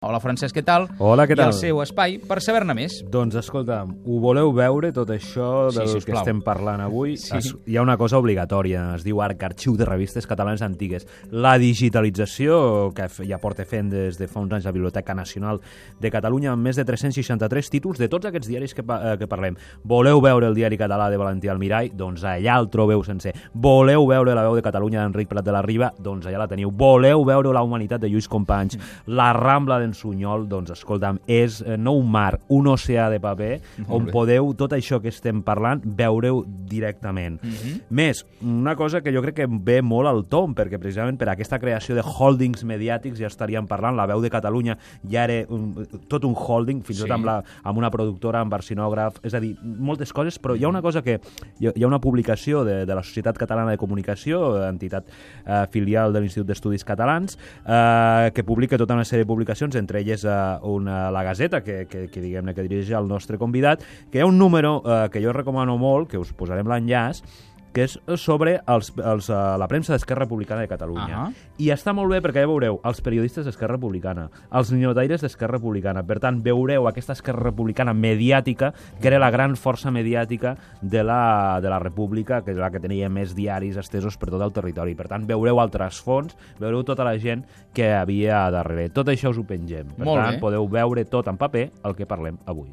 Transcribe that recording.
Hola, Francesc, què tal? Hola, què tal? I el seu espai per saber-ne més. Doncs escolta'm, ho voleu veure, tot això del que estem parlant avui? Sí. Hi ha una cosa obligatòria, es diu Arxiu de Revistes Catalanes Antigues. La digitalització, que ja porta fent des de fa uns anys la Biblioteca Nacional de Catalunya, amb més de 363 títols de tots aquests diaris que parlem. Voleu veure el diari català de Valentí Almirall? Doncs allà el trobeu sencer. Voleu veure la veu de Catalunya d'Enric Prat de la Riba? Doncs allà la teniu. Voleu veure la humanitat de Lluís Companys? La Rambla de Sunyol, doncs escolta'm, és no un mar, un oceà de paper on podeu tot això que estem parlant veure-ho directament. Més, una cosa que jo crec que ve molt al tom, perquè precisament per aquesta creació de holdings mediàtics ja estaríem parlant, la veu de Catalunya ja era tot un holding, fins i tot amb una productora, amb arsenògraf, és a dir, moltes coses, però hi ha una cosa que hi ha una publicació de la Societat Catalana de Comunicació, entitat filial de l'Institut d'Estudis Catalans, que publica tota una sèrie de publicacions, entre elles la Gazeta, que diguem-ne que dirigeix el nostre convidat, que hi ha un número que jo recomano molt, que us posarem l'enllaç, que és sobre la premsa d'Esquerra Republicana de Catalunya. I està molt bé perquè ja veureu els periodistes d'Esquerra Republicana, els ninotaires d'Esquerra Republicana. Per tant, veureu aquesta Esquerra Republicana mediàtica, que era la gran força mediàtica de la República, que és la que tenia més diaris estesos per tot el territori. Per tant, veureu el trasfons, veureu tota la gent que havia darrere. Tot això us ho pengem. Per tant, podeu veure tot en paper el que parlem avui.